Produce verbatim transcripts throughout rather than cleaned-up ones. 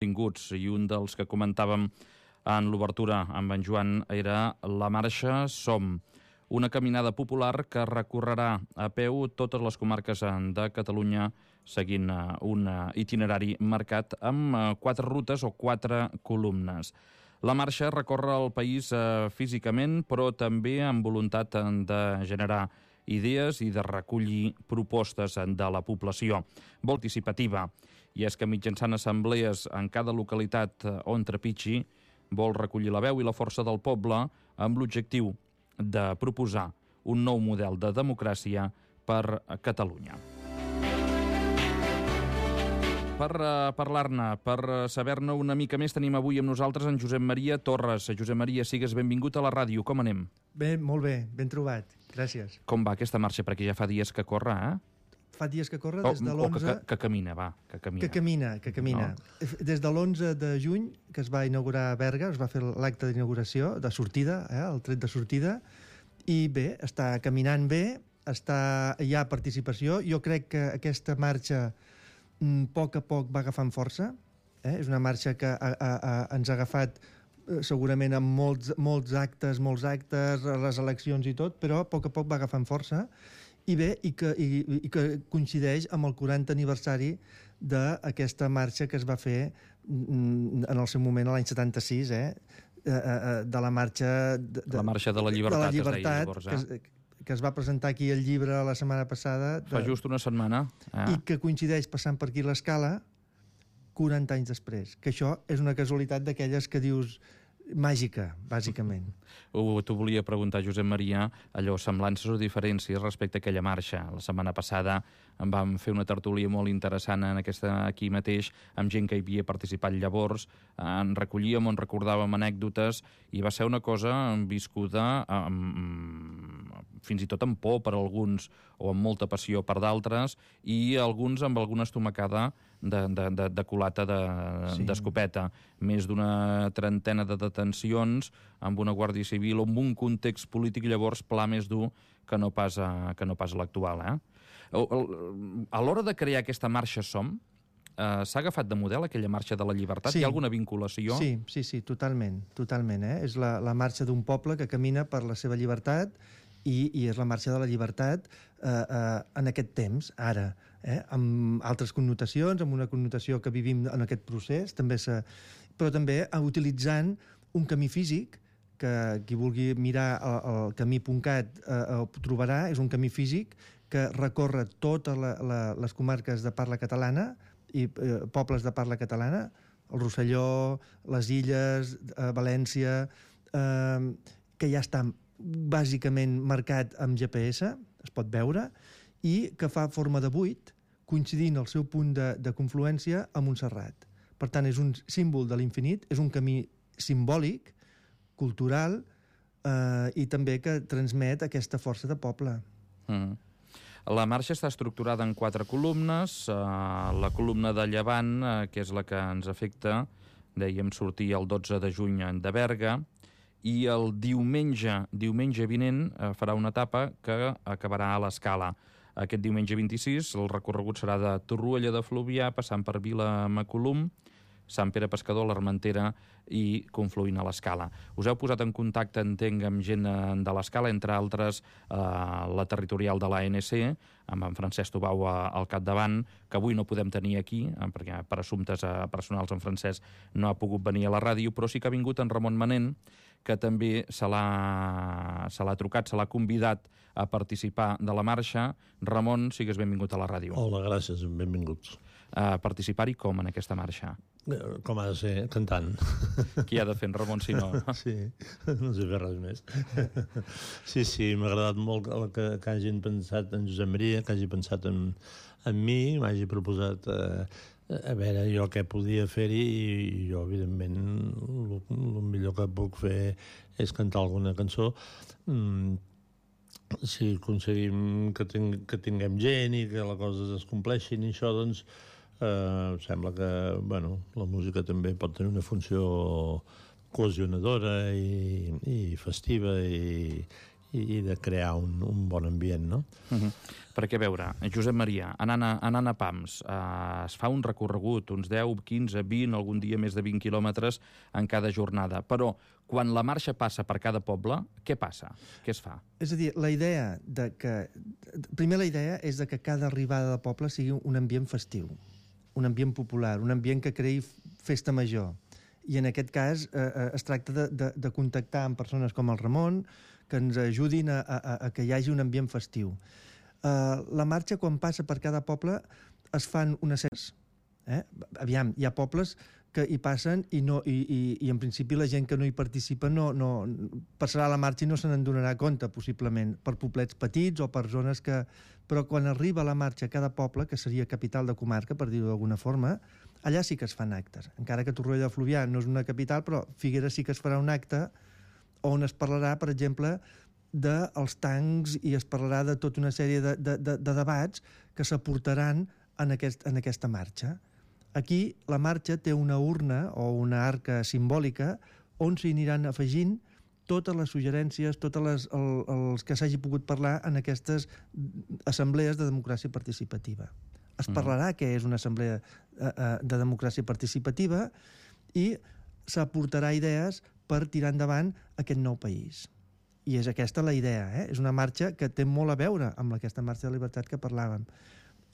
Tinguts, i un dels que comentàvem en l'obertura amb en Joan era la marxa Som, una caminada popular que recorrerà a peu totes les comarques de Catalunya seguint un itinerari marcat amb quatre rutes o quatre columnes. La marxa recorre el país físicament, però també amb voluntat de generar idees i de recollir propostes de la població, molt participativa. I és que mitjançant assemblees en cada localitat on trepitgi, vol recollir la veu i la força del poble amb l'objectiu de proposar un nou model de democràcia per a Catalunya. Per uh, parlar-ne, per uh, saber-ne una mica més, tenim avui amb nosaltres en Josep Maria Torres. Josep Maria, sigues benvingut a la ràdio. Com anem? Bé, molt bé, ben trobat. Gràcies. Com va aquesta marxa? Perquè ja fa dies que corre, eh? Fa dies que corre des de l'onze... O que, que, que camina, va, que camina. Que camina, que camina. No. Des de l'onze de juny, que es va inaugurar a Berga, es va fer l'acte d'inauguració, de sortida, eh, el tret de sortida, i bé, està caminant bé, està, hi ha participació. Jo crec que aquesta marxa a poc a poc va agafant força, eh? És una marxa que a, a, a, ens ha agafat eh, segurament amb molts, molts actes, molts actes, les eleccions i tot, però a poc a poc va agafant força, i bé, i que, i, i que coincideix amb el quaranta aniversari d'aquesta marxa que es va fer en el seu moment, l'any setanta-sis, eh? de la marxa... De, la marxa de la llibertat, de la llibertat es deia llavors, eh? que es, que es va presentar aquí el llibre la setmana passada. De, Fa just una setmana. Eh? I que coincideix passant per aquí l'Escala quaranta anys després. Que això és una casualitat d'aquelles que dius màgica, bàsicament. Uh, T'ho volia preguntar, Josep Maria, allò, semblances o diferències respecte a aquella marxa. La setmana passada en vam fer una tertúlia molt interessant en aquesta aquí mateix, amb gent que hi havia participat llavors, en recollíem, en recordàvem anècdotes, i va ser una cosa viscuda amb, fins i tot amb por per alguns, o amb molta passió per d'altres, i alguns amb alguna estomacada de, de, de, de culata d'escopeta. De, sí. Més d'una trentena de detencions amb una Guàrdia Civil o amb un context polític llavors pla més dur que no pas, a, que no pas l'actual. Eh? A l'hora de crear aquesta marxa Som, eh, s'ha agafat de model aquella marxa de la llibertat? Sí. Hi ha alguna vinculació? Sí, sí, sí, totalment. totalment eh? És la, la marxa d'un poble que camina per la seva llibertat i, i és la marxa de la llibertat eh, eh, en aquest temps, ara, eh? Amb altres connotacions, amb una connotació que vivim en aquest procés, també se... però també utilitzant un camí físic, que qui vulgui mirar el, el camí punt cat eh, ho trobarà, és un camí físic que recorre totes la, la, les comarques de parla catalana i eh, pobles de parla catalana, el Rosselló, les Illes, eh, València, eh, que ja està bàsicament marcat amb G P S, es pot veure, i que fa forma de buit, coincidint el seu punt de, de confluència amb Montserrat. Per tant, és un símbol de l'infinit, és un camí simbòlic, cultural, eh, i també que transmet aquesta força de poble. Mm. La marxa està estructurada en quatre columnes. Eh, la columna de Llevant, eh, que és la que ens afecta, dèiem sortir el dotze de juny de Berga, i el diumenge, diumenge vinent eh, farà una etapa que acabarà a l'Escala. Aquest diumenge vint-i-sis el recorregut serà de Torroella de Fluvià, passant per Vilamacolum, Sant Pere Pescador, l'Armentera i confluint a l'Escala. Us heu posat en contacte, entenc, amb gent de l'Escala, entre altres eh, la territorial de l'A N C, amb en Francesc Tubau al capdavant, que avui no podem tenir aquí, eh, perquè per assumptes eh, personals en Francesc no ha pogut venir a la ràdio, però sí que ha vingut en Ramon Manent, que també se l'ha se l'ha trucat, se l'ha convidat a participar de la marxa. Ramon, sigues benvingut a la ràdio. Hola, gràcies, benvinguts. A participar-hi com en aquesta marxa? Com ha de ser, cantant. Qui ha de fer en Ramon si no? Sí, no sé fer res més. Sí, sí, m'ha agradat molt que, que hagin pensat en Josep Maria, que hagi pensat en, en mi, m'hagi proposat eh, a veure jo què podia fer-hi, i jo, evidentment, el, el millor que puc fer és cantar alguna cançó. Mm, si aconseguim que, ting, que tinguem gent i que les coses es compleixin i això, doncs eh, sembla que, bueno, la música també pot tenir una funció cohesionadora i, i festiva i, i, i de crear un, un bon ambient, no? Uh-huh. Perquè, a veure, Josep Maria, anant a, anant a Pams, eh, es fa un recorregut, uns deu, quinze, vint, algun dia més de vint quilòmetres en cada jornada. Però, quan la marxa passa per cada poble, què passa? Què es fa? És a dir, la idea de que... Primer, la idea és de que cada arribada de poble sigui un ambient festiu, un ambient popular, un ambient que creï festa major. I en aquest cas eh, es tracta de, de, de contactar amb persones com el Ramon que ens ajudin a, a, a que hi hagi un ambient festiu. Uh, la marxa, quan passa per cada poble, es fan unes sèries. Eh? Aviam, hi ha pobles que hi passen i, no, i, i, i en principi la gent que no hi participa no, no, passarà la marxa i no se n'en donarà compte, possiblement, per poblets petits o per zones que... Però quan arriba la marxa a cada poble, que seria capital de comarca, per dir-ho d'alguna forma, allà sí que es fan actes. Encara que Torroella de Fluvià no és una capital, però Figueres sí que es farà un acte on es parlarà, per exemple, dels tancs i es parlarà de tota una sèrie de, de, de, de debats que s'aportaran en, aquest, en aquesta marxa. Aquí la marxa té una urna o una arca simbòlica on s'hi aniran afegint totes les suggerències, tots les, el, els que s'hagi pogut parlar en aquestes assemblees de democràcia participativa. Es parlarà què és una assemblea de democràcia participativa i s'aportarà idees per tirar endavant aquest nou país. I és aquesta la idea, eh? És una marxa que té molt a veure amb aquesta marxa de llibertat que parlàvem.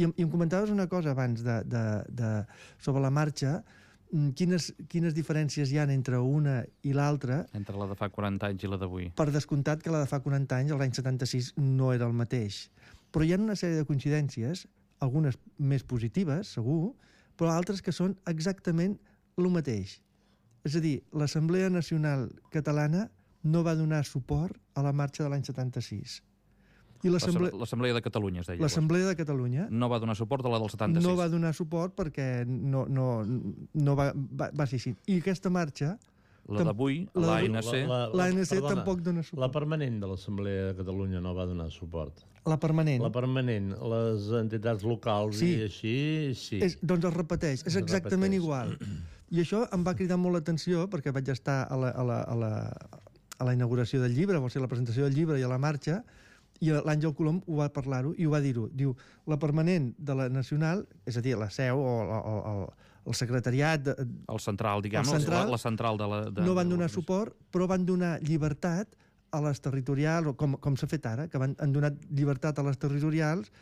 I, i em comentaves una cosa abans de, de, de, sobre la marxa, quines, quines diferències hi ha entre una i l'altra. Entre la de fa quaranta anys i la d'avui. Per descomptat que la de fa quaranta anys, l'any setanta-sis, no era el mateix. Però hi ha una sèrie de coincidències, algunes més positives, segur, però altres que són exactament el mateix. És a dir, l'Assemblea Nacional Catalana no va donar suport a la marxa de l'any setanta-sis. I l'Assemblea de Catalunya, es deia. L'Assemblea de Catalunya no va donar suport a la del setanta-sis. No va donar suport perquè no, no, no va, va, va ser així. I aquesta marxa... La d'avui, l'A N C... L'A N C tampoc dona suport. La permanent de l'Assemblea de Catalunya no va donar suport. La permanent? La permanent. Les entitats locals sí. i així, sí. És, doncs es repeteix, és exactament repeteix. Igual. I això em va cridar molt l'atenció perquè vaig estar a la, a la, a la, a la inauguració del llibre, o sigui, a la presentació del llibre i a la marxa, i l'Àngel Colom ho va parlar-ho i ho va dir-ho. Diu, la permanent de la nacional, és a dir, la seu o, o, o el secretariat... De, el central, diguem, el central, la, la central de la... De, no van donar de suport, però van donar llibertat a les territorials, com, com s'ha fet ara, que van, han donat llibertat a les territorials,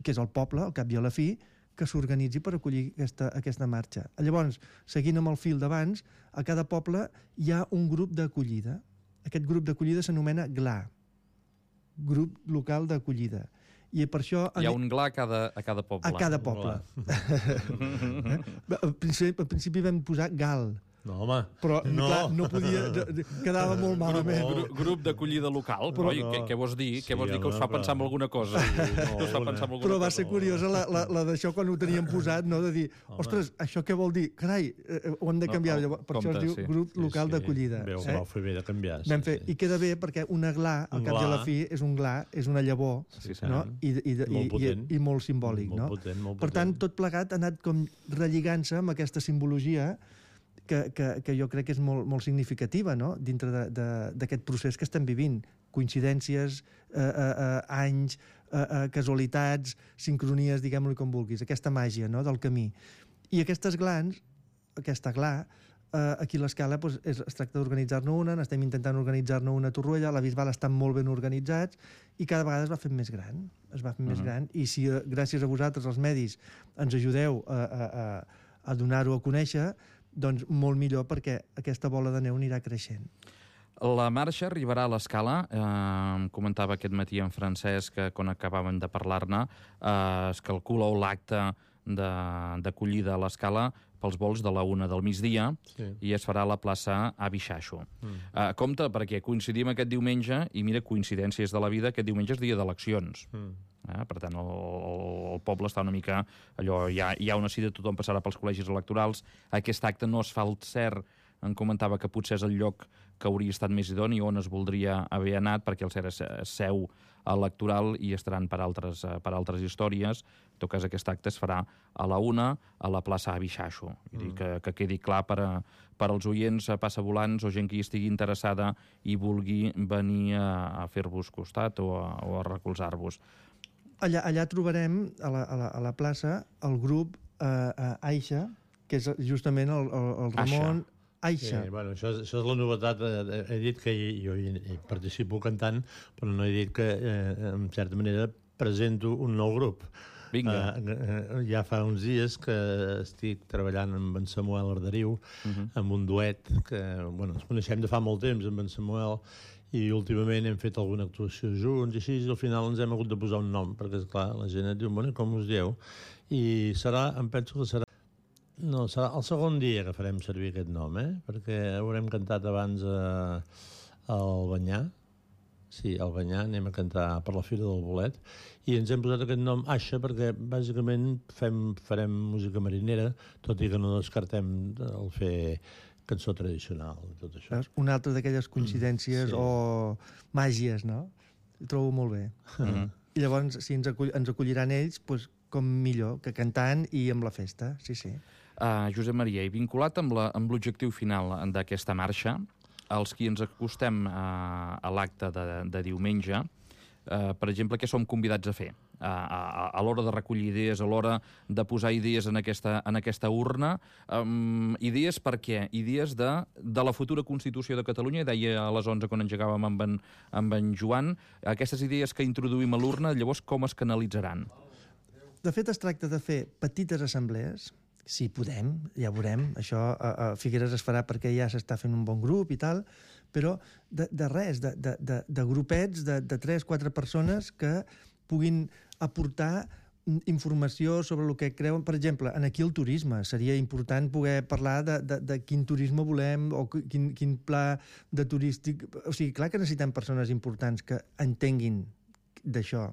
que és el poble, al cap i a la fi, que s'organitzi per acollir aquesta, aquesta marxa. Llavors, seguint amb el fil d'abans, a cada poble hi ha un grup d'acollida. Aquest grup d'acollida s'anomena G L A, Grup Local d'Acollida. I per això... Hi ha un G L A a cada, a cada poble. A cada poble. Al principi, al principi vam posar G A L. No, home. Però, no. clar, no podia... Quedava molt malament. Grup, grup d'acollida local? Però, no. què, què vols dir? Sí, què vols dir que us fa pensar en alguna cosa? No, us fa pensar en alguna però va cosa. ser curiosa la, la, la d'això quan ho teníem posat, no? De dir, ostres, això què vol dir? Carai, eh, ho hem de canviar. No, per compte, això es diu sí. Grup sí, Local sí. d'Acollida. Veu, eh? Vau fer bé de canviar. Vam fer, sí. I queda bé perquè una G L A, al cap i a la fi, és un G L A, és una llavor, sí, sí, no? I, i, i, molt potent. I, i molt simbòlic, molt no? Potent, molt per tant, tot plegat ha anat com relligant-se amb aquesta simbologia que, que, que jo crec que és molt, molt significativa, no? Dintre d'aquest procés que estem vivint. Coincidències, eh, eh, anys, eh, eh, casualitats, sincronies, diguem-ho com vulguis, aquesta màgia, no?, del camí. I aquestes glans, aquesta G L A, eh, aquí a l'Escala doncs, es, es tracta d'organitzar-ne una, n'estem intentant organitzar-ne una a Torroella, a la Bisbal estan molt ben organitzats i cada vegada es va fent més gran, es va fent uh-huh. més gran, i si eh, gràcies a vosaltres, els medis, ens ajudeu a, a, a, a donar-ho a conèixer, doncs molt millor perquè aquesta bola de neu anirà creixent. La marxa arribarà a l'Escala. Eh, em comentava aquest matí en Francesc que quan acabàvem de parlar-ne eh, es calcula l'acte d'acollida a l'Escala pels vols de la una del migdia sí. i es farà a la plaça Avi Xaixo. Mm. Eh, compte, perquè coincidim aquest diumenge i mira, coincidències de la vida, aquest diumenge és dia d'eleccions. Mm. Eh? Per tant, el, el poble està una mica... allò, hi ha, hi ha una cita, tothom passarà pels col·legis electorals. Aquest acte no es fa el cert, em comentava que potser és el lloc que hauria estat més idoni, on es voldria haver anat, perquè el cert és seu electoral i estaran per altres, per altres històries. En tot cas, aquest acte es farà a la una a la plaça Abixaixo. Mm. Que, que quedi clar per, a, per als oients, a passavolants o gent que hi estigui interessada i vulgui venir a, a fer-vos costat o a, o a recolzar-vos. Allà, allà trobarem, a la, a la, a la plaça, el grup eh, eh, Aixa, que és justament el, el, el Ramon... Aixa. Sí, bueno, això, és, això és la novetat. He dit que jo hi, hi participo cantant, però no he dit que, eh, en certa manera, presento un nou grup. Vinga. Uh, ja fa uns dies que estic treballant amb en Samuel Arderiu, uh-huh. amb un duet que, bueno, ens coneixem de fa molt temps amb en Samuel, i últimament hem fet alguna actuació junts, i així, i al final ens hem hagut de posar un nom, perquè, esclar, la gent et diu, bueno, com us dieu? I serà, em penso que serà No, serà el segon dia que farem servir aquest nom, eh? Perquè haurem cantat abans a, a Albanyà. Sí, a Albanyà, anem a cantar per la Fira del Bolet. I ens hem posat aquest nom Aixa perquè, bàsicament, fem, farem música marinera, tot i que no descartem el fer cançó tradicional i tot això. Una altra d'aquelles coincidències mm, sí. o màgies, no? Ho trobo molt bé. Mm-hmm. I llavors, si ens, acull, ens acolliran ells, doncs, com millor, que cantant i amb la festa, sí, sí. Uh, Josep Maria, i vinculat amb l'objectiu final d'aquesta marxa, els qui ens acostem uh, a l'acte de, de diumenge, uh, per exemple, què som convidats a fer? Uh, a a l'hora de recollir idees, a l'hora de posar idees en aquesta, en aquesta urna. Um, idees per què? Idees de, de la futura Constitució de Catalunya, deia a les onze quan engegàvem amb en, amb en Joan, aquestes idees que introduïm a l'urna, llavors com es canalitzaran? De fet, es tracta de fer petites assemblees, si podem, ja veurem, això a, a Figueres es farà perquè ja s'està fent un bon grup i tal, però de, de res, de, de, de, de grupets de, de tres, quatre persones que puguin aportar informació sobre el que creuen. Per exemple, en aquí el turisme, seria important poder parlar de, de, de quin turisme volem o quin, quin pla de turístic... O sigui, clar que necessitem persones importants que entenguin d'això,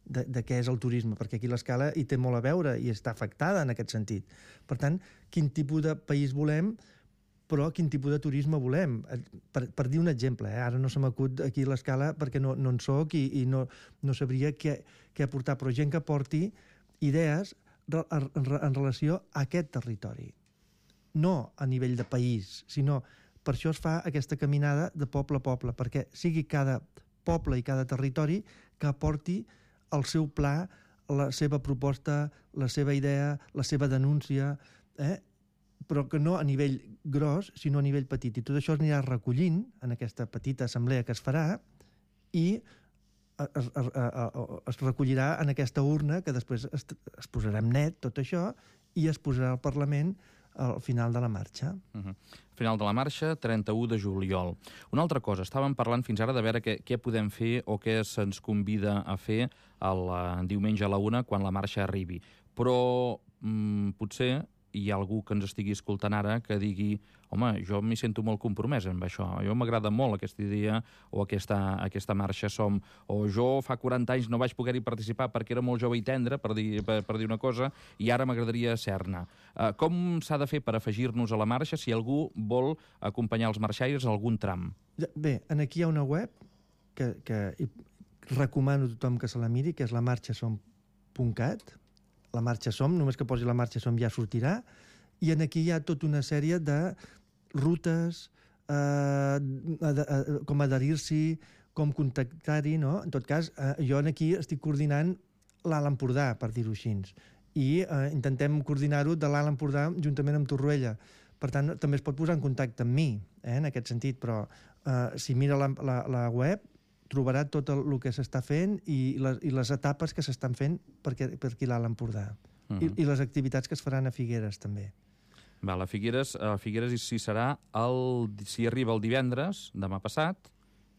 de, de què és el turisme, perquè aquí l'Escala hi té molt a veure i està afectada en aquest sentit. Per tant, quin tipus de país volem, però quin tipus de turisme volem. Per, per dir un exemple, eh? Ara no se m'acut aquí l'Escala perquè no, no en soc i, i no, no sabria què, què aportar, però gent que porti idees en, en, en relació a aquest territori. No a nivell de país, sinó per això es fa aquesta caminada de poble a poble, perquè sigui cada poble i cada territori que aporti el seu pla, la seva proposta, la seva idea, la seva denúncia, eh? Però que no a nivell gros, sinó a nivell petit. I tot això es anirà recollint en aquesta petita assemblea que es farà i es, es, es recollirà en aquesta urna que després es, es posarà en net, tot això, i es posarà al Parlament al final de la marxa. Uh-huh. Final de la marxa, trenta-u de juliol. Una altra cosa, estàvem parlant fins ara de veure què, què podem fer o què se'ns convida a fer el diumenge a la una quan la marxa arribi. Però mm, potser hi ha algú que ens estigui escoltant ara que digui home, jo m'hi sento molt compromès amb això, jo m'agrada molt aquesta idea o aquesta, aquesta marxa som, o jo fa quaranta anys no vaig poder-hi participar perquè era molt jove i tendre, per dir, per, per dir una cosa, i ara m'agradaria ser-ne. Uh, com s'ha de fer per afegir-nos a la marxa si algú vol acompanyar els marxaires a algun tram? Bé, aquí hi ha una web que, que recomano a tothom que se la miri, que és la marxa som punt cat. La marxa som, només que posi la marxa som ja sortirà, i en aquí hi ha tota una sèrie de rutes, eh, ad, ad, com adherir-s'hi, com contactar-hi, no? En tot cas, eh, jo aquí estic coordinant l'Alt Empordà, per dir-ho així, i eh, intentem coordinar-ho de l'Alt Empordà juntament amb Torroella. Per tant, també es pot posar en contacte amb mi, eh, en aquest sentit, però eh, si mira la, la, la web trobarà tot el, el que s'està fent i les, i les etapes que s'estan fent per, per aquí l'Alt Empordà. Uh-huh. I, I les activitats que es faran a Figueres, també. Val, a Figueres, a Figueres si serà el, si arriba el divendres, demà passat,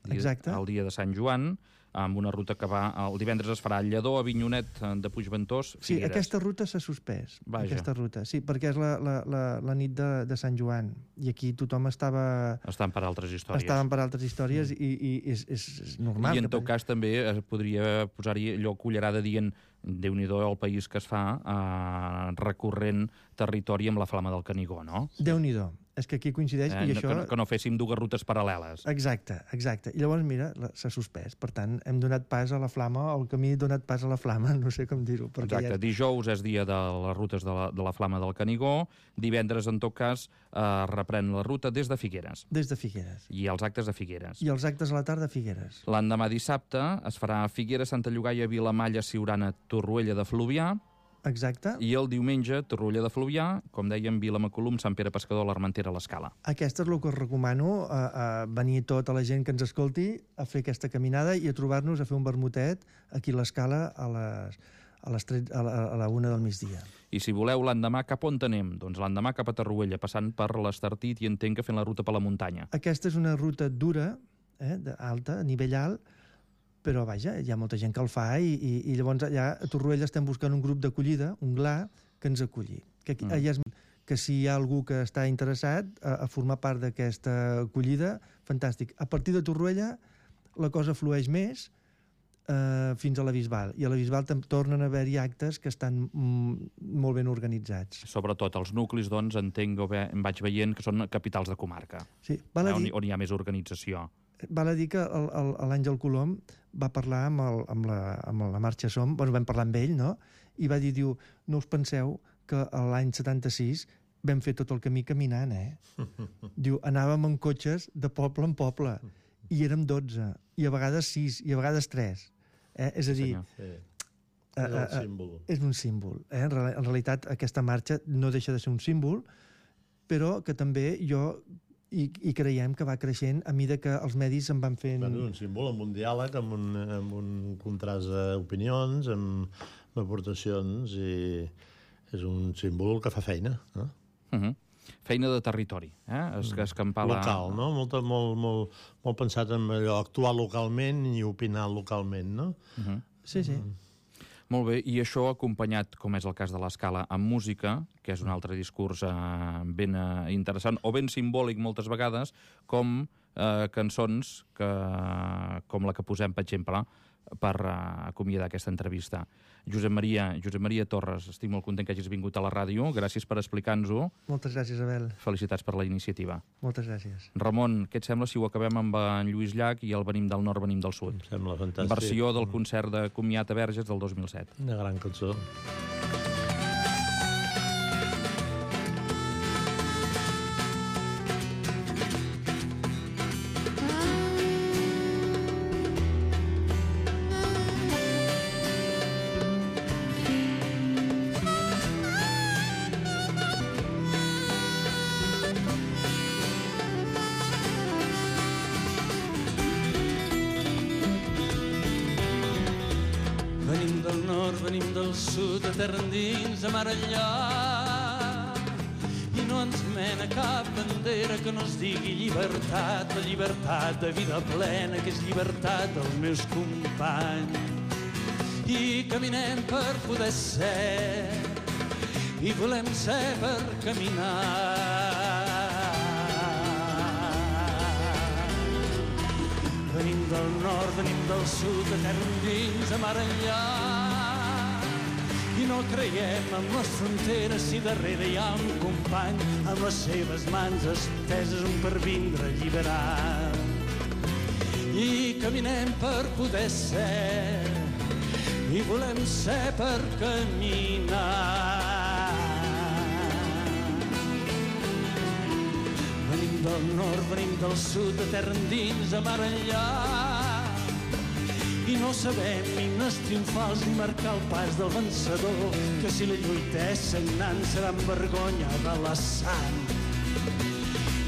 exacte, el dia de Sant Joan, amb una ruta que va... El divendres es farà a Lledó, a Avinyonet de Puigventós, Figueres. Sí, aquesta ruta s'ha suspès. Vaja. Aquesta ruta, sí, perquè és la, la, la, la nit de, de Sant Joan, i aquí tothom estava... Estan per altres històries. Estaven per altres històries mm. i, i és, és, és normal. I en tot cas també es podria posar-hi allò cullerada dient Déu-n'hi-do el país que es fa eh, recorrent territori amb la Flama del Canigó, no? Déu-n'hi-do. És que aquí coincideix eh, i no, això... Que no, que no féssim dues rutes paral·leles. Exacte, exacte. I llavors, mira, s'ha suspès. Per tant, hem donat pas a la flama, el camí ha donat pas a la flama, no sé com dir-ho. Exacte, ja... dijous és dia de les rutes de la, de la flama del Canigó, divendres, en tot cas, eh, reprèn la ruta des de Figueres. Des de Figueres. I els actes a Figueres. I els actes a la tarda a Figueres. L'endemà dissabte es farà a Figueres, Santa Llogaia, Vilamalla, Siurana, Torroella de Fluvià. Exacte. I el diumenge, Torroella de Fluvià, com dèiem, Vilamacolum, Sant Pere Pescador, l'Armentera, l'Escala. Aquesta és el que us recomano, a, a venir tota la gent que ens escolti a fer aquesta caminada i a trobar-nos a fer un vermutet aquí a l'Escala a les, a les tres, a la, a la una del migdia. I si voleu l'endemà, cap on anem? Doncs l'endemà cap a Torroella, passant per l'Estartit i entenc que fent la ruta per la muntanya. Aquesta és una ruta dura, eh, alta, a nivell alt, però vaja, hi ha molta gent que el fa i, i, i llavors allà a Torroella estem buscant un grup d'acollida, un G L A, que ens acolli. Que, aquí, mm. és, que si hi ha algú que està interessat a, a formar part d'aquesta acollida, fantàstic. A partir de Torroella la cosa flueix més eh, fins a la Bisbal, i a la Bisbal tornen a haver-hi actes que estan mm, molt ben organitzats. Sobretot els nuclis, doncs, entenc, o bé, em vaig veient que són capitals de comarca, sí, val a eh, dir... on, on hi ha més organització. Val a dir que l'Àngel Colom va parlar amb, el, amb, la, amb la Marxa Som, bueno, vam parlar amb ell, no? I va dir, diu, no us penseu que l'any setanta-sis vam fer tot el camí caminant, eh? Diu, anàvem en cotxes de poble en poble, i érem dotze, i a vegades sis, i a vegades tres. Eh? És a dir... Sí. És un símbol. Uh, uh, és un símbol. Eh? En, real, en realitat, aquesta marxa no deixa de ser un símbol, però que també jo... I, i creiem que va creixent a mida que els medis se'n van fent... Bueno, un símbol amb un diàleg, amb un, amb un contrast d'opinions, amb, amb aportacions, i és un símbol que fa feina, no? Uh -huh. Feina de territori, eh? Es, escampar la... Local, no? Molt, molt, molt, molt pensat en allò, actuar localment i opinar localment, no? Uh -huh. Sí, sí. Uh -huh. Molt bé, i això acompanyat, com és el cas de l'Escala, amb música, que és un altre discurs eh, ben eh, interessant, o ben simbòlic moltes vegades, com eh, cançons que, com la que posem, per exemple, per uh, acomiadar aquesta entrevista. Josep Maria, Josep Maria Torres, estic molt content que hagis vingut a la ràdio. Gràcies per explicar-nos-ho. Moltes gràcies, Abel. Felicitats per la iniciativa. Moltes gràcies. Ramon, què et sembla si ho acabem amb en Lluís Llach i el Venim del Nord, Venim del Sud? Em sembla fantàstic. Versió del concert de comiat a Verges del dos mil set. Una gran cançó. Venim del sud, a terra endins, a mar enllà, i no ens mena cap bandera que no es digui llibertat, la llibertat de vida plena, que és llibertat dels meus companys. I caminem per poder ser, i volem ser per caminar. Venim del nord, venim del sud, a terra endins, a mar enllà, i no creiem en les fronteres si darrere hi ha un company amb les seves mans esteses un per vindre a alliberar. I caminem per poder ser, i volem ser per caminar. Venim del nord, venim del sud, de terra endins, a mar enllà, i no sabem himnes triomfals ni marcar el pas del vencedor, que si la lluita és sagnant serà en vergonya de la sang.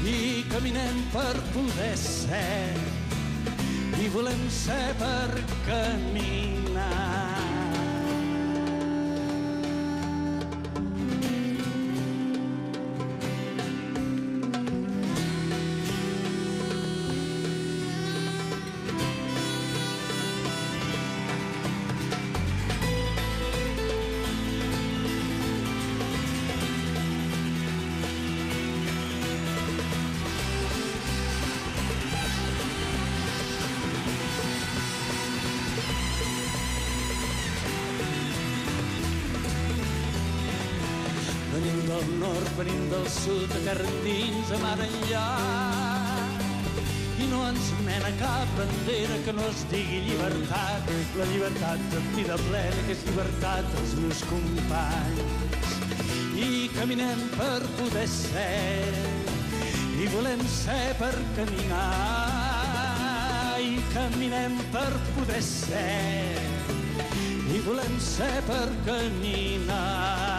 I caminem per poder ser, i volem ser per caminar. Venim del nord, venim del sud, a terra endins, a mar enllà i no ens mena cap bandera que no es digui llibertat, la llibertat de vida plena que és llibertat dels meus companys. I caminem per poder ser i volem ser per caminar, i caminem per poder ser i volem ser per caminar.